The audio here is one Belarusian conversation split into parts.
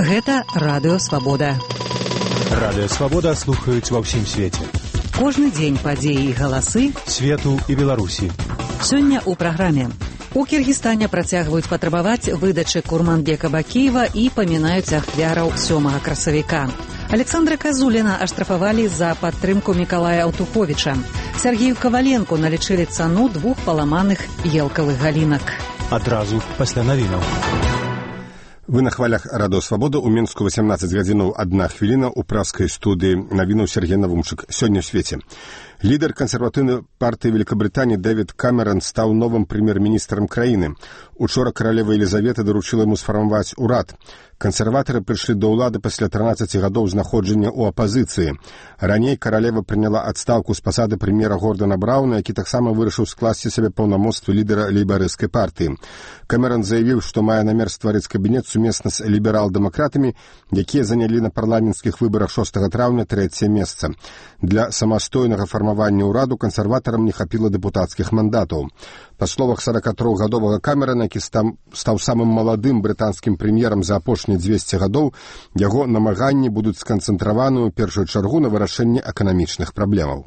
Гэта Радыё Свабода. Радыё Свабода слухаюць ва ўсім свеце. Кожны дзень падзеі і галасы свету і Беларусі. Сёння ў праграме. У Кіргізстане працягваюць патрабаваць выдачы Курманбека Бакіева і памінаюць ахвяраў 7 красавіка. Александра Казуліна аштрафавалі за падтрымку Мікалая Аўтуховіча. Сергею Каваленку налічылі цану 2 паламаных елкавых галінак. Адразу пасля навінаў. Вы на хвалях Радыё Свабода. У Мінску 18 гадзінаў 1 хвіліна ў праскай студыі навінаў Сергей Навумчык. Сёння ў свеце. Лідар кансерватыўнай партыі Великабрытаніі Дэвід Камерон стаў новым прэм'ер-міністрам краіны. Учора каралева Елізавета даручыла яму сфармаваць урад. Кансерватары прыйшлі да ўлады пасля 13 гадоў знаходжання ў апазіцыі. Раней каралева прыняла адстаўку з пасады прэм'ера Гордана Брауна, які таксама вырашыў скласці сабе паўнамоцтвы лідара лейбарысцкай партыі. Камерон заявіў, што мае намер стварыць кабінет сумесна з ліберал-дэмакратамі, якія занялі на парламенцкіх выбарах 6 траўня 3е месца. Для самастойнага фармавання ўраду кансерватарам не хапіла дэпутацкіх мандатаў. Па словах 43-гадовага Камерона, які стаў самым маладым брытанскім прэм'ерам за апошнія 200 гадоў, яго намаганні будуць сканцэнтраваны ў першую чаргу на вырашэнні эканамічных праблемаў.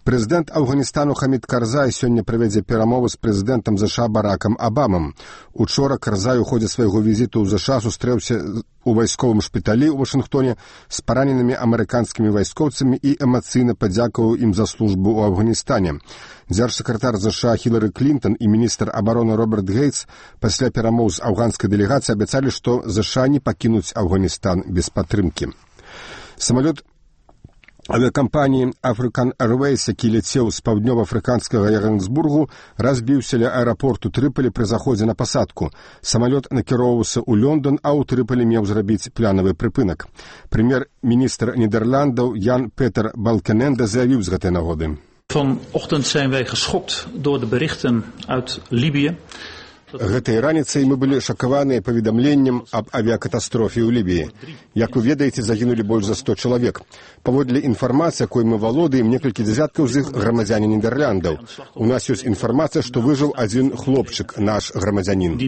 Прэзідэнт Афганістану Хамід Карзай сёння правядзе перамовы з прэзідэнтам ЗША Баракам Абамам. Учора Карзай у ходзе свайго візіту ў ЗША сустрэўся у вайсковым шпіталі ў Вашынгтоне з параненымі амерыканскімі вайскоўцамі і эмацыйна падзякаваў ім за службу ў Афганістане. Дзяржсакратар ЗША Хілары Клінтон і міністр абароны Роберт Гейтс пасля перамоў з афганскай дэлегацыі абяцалі, што ЗША не пакінуць Афганістан без падтрымкі. Самалёт авіакампаніі African Airways, які ляцеў з паўднёва-афрыканскага Яганесбургу, разбіўся ля аэрапорту Трыполі пры заходзе на пасадку. Самалёт накіроўваўся ў Лондон, а ў Трыполі меў зрабіць планавы прыпынак. Прэм'ер-міністр Нідерландаў Ян Петер Балкененде заявіў з гэтай нагоды. Vanochtend zijn wij geschokt door de berichten uit Libië. Гэтай раніцай мы былі шакаваныя паведамленнем аб авіякатастрофе ў Лібіі. Як вы ведаеце, загінулі больш за 100 чалавек. Паводле інфармацыі, якой мы валодаем, некалькі дзясяткаў з іх грамадзяне Нідерландаў. У нас ёсць інфармацыя, што выжыў адзін хлопчык, наш грамадзянін.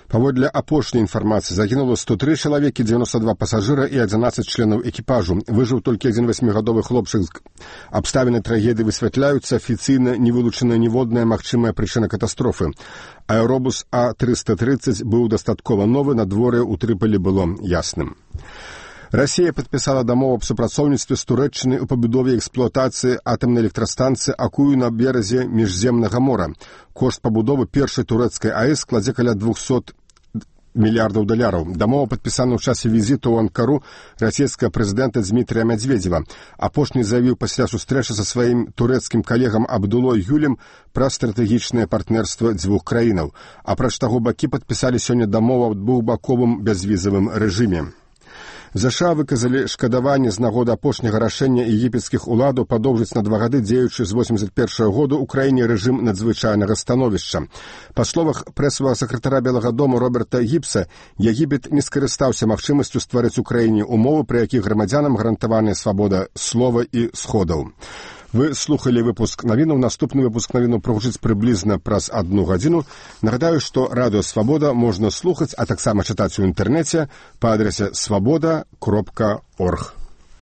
Паводле апошняй інфармацыі загінула 103 чалавекі, 92 пасажыра і 11 членаў экіпажу. Выжыў толькі адзін 8-гадовы хлопчык. Абставіны трагедыі высвятляюцца, афіцыйна не вылучана ніводная магчымая прычына катастрофы. Аэробус А-330 быў дастаткова новы, надвор'е ў Трыполі было ясным. Расія падпісала дамову аб супрацоўніцтве з Турэччынай у пабудове і эксплуатацыі атамнай электрастанцыі Акую на беразе міжземнага мора. Кошт пабудовы першай турэцкай АЭС складзе каля $200 мільярдаў. Дамова падпісана ў часе візіту ў Анкару расійскага прэзідэнта Дзмітрыя Мядзведзева. Апошні заявіў пасля сустрэчы са сваім турэцкім калегам Абдулой Гюлем пра стратэгічнае партнерства дзвюх краінаў. Апроч таго, бакі падпісалі сёння дамову аб двухбаковым бязвізавым рэжыме. ЗША выказалі шкадаванне з нагоды апошняга рашэння егіпецкіх уладаў падоўжыць на 2 гады дзеючы з 81 году ў краіне рэжым надзвычайнага становішча. Па словах прэсавага сакратара Белага дому Роберта Гібса, Егіпет не скарыстаўся магчымасцю стварыць у краіне умовы, пры якіх грамадзянам гарантаваная свабода слова і сходаў. Вы слухали выпуск навінаў. Наступны выпуск навінаў прагучыць прыблізна праз 1 гадзіну. Нагадаю, што Радыё Свабода можна слухаць, а таксама чытаць у інтэрнэце па адрасе swaboda.org.